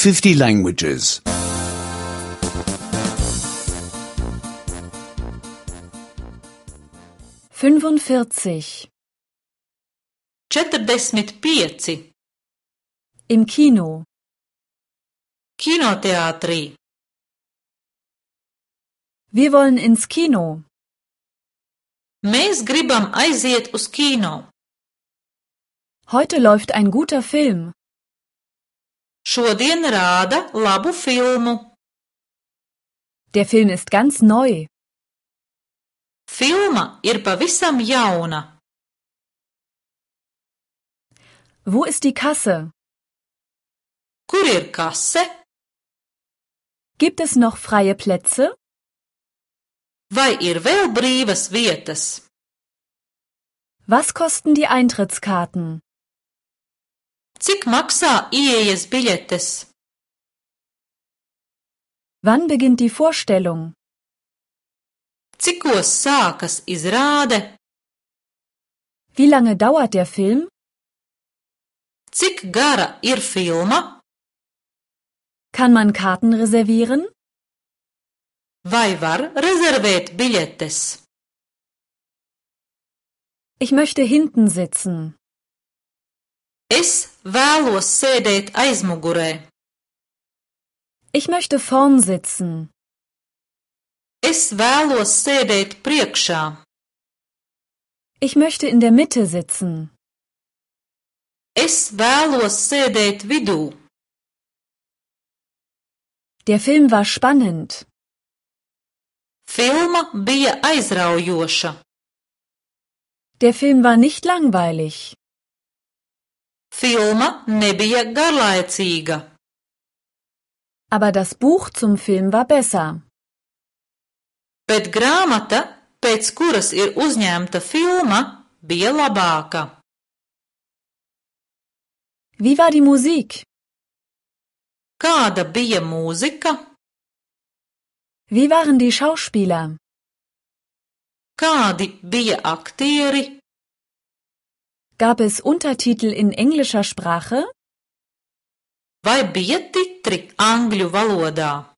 50 languages. 45. 45. Im Kino. Kinoteātrī. Wir wollen ins Kino. Mēs gribam aiziet uz kino. Heute läuft ein guter Film. Šodien rāda labu filmu. Der Film ist ganz neu. Filma ir pavisam jauna. Wo ist die Kasse? Kur ir kase? Gibt es noch freie Plätze? Vai ir vēl brīvas vietas? Was kosten die Eintrittskarten? Cik maksā ieejas biļetes? Wann beginnt die Vorstellung? Cikos sākas izrāde? Wie lange dauert der Film? Cik gara ir filma? Kann man Karten reservieren? Vai var rezervēt biļetes? Ich möchte hinten sitzen. Es vēlos sēdēt aizmugurē. Ich möchte vorn sitzen. Es vēlos sēdēt priekšā. Ich möchte in der Mitte sitzen. Es vēlos sēdēt vidū. Der Film war spannend. Filma bija aizraujoša. Der Film war nicht langweilig. Filma nebija garlaicīga. Aber das Buch zum Film war besser. Bet grāmata, pēc kuras ir uzņemta filma, bija labāka. Wie war die Musik? Kāda bija mūzika? Wie waren die Schauspieler? Kādi bija aktieri? Gab es Untertitel in englischer Sprache? Vai bija titri angļu valodā?